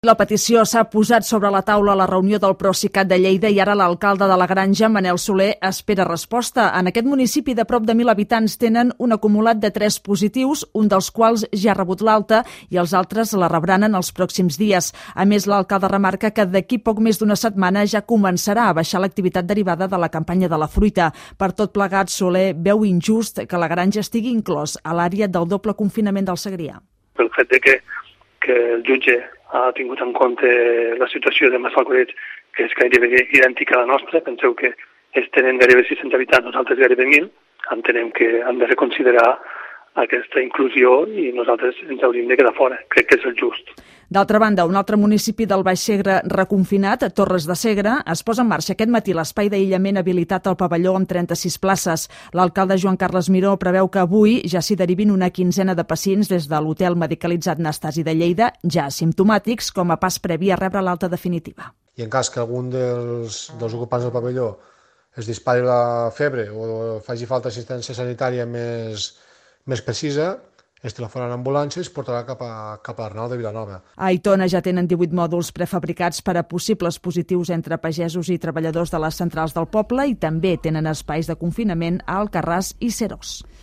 La petició s'ha posat sobre la taula a la reunió del Procicat de Lleida i ara l'alcalde de la Granja, Manel Soler, espera resposta. En aquest municipi de prop de 1.000 habitants tenen un acumulat de 3 positius, un dels quals ja ha rebut l'alta i els altres la rebran en els pròxims dies. A més, l'alcalde remarca que d'aquí poc més d'una setmana ja començarà a baixar l'activitat derivada de la campanya de la fruita. Per tot plegat, Soler veu injust que la Granja estigui inclòs a l'àrea del doble confinament del Segrià. Pel fet de que el jutge ha tingut en compte la situació de Massalcoreig, que és gairebé idèntica a la nostra. Penseu que ells tenen gairebé 600 habitants, nosaltres gairebé 1.000. Entenem que han de reconsiderar aquesta inclusió i nosaltres ens hauríem de quedar fora. Crec que és el just. D'altra banda, un altre municipi del Baix Segre reconfinat, Torres de Segre, es posa en marxa aquest matí l'espai d'aïllament habilitat al pavelló amb 36 places. L'alcalde Joan Carles Miró preveu que avui ja s'hi derivin una quinzena de pacients des de l'hotel medicalitzat Nastasi de Lleida, ja asimptomàtics, com a pas previ a rebre l'alta definitiva. I en cas que algun dels ocupants del pavelló es dispari la febre o faci falta assistència sanitària més precisa, es telefonen ambulàncies i es portarà cap a l'Arnau de Vilanova. A Aitona ja tenen 18 mòduls prefabricats per a possibles positius entre pagesos i treballadors de les centrals del poble i també tenen espais de confinament a Alcarràs i Serós.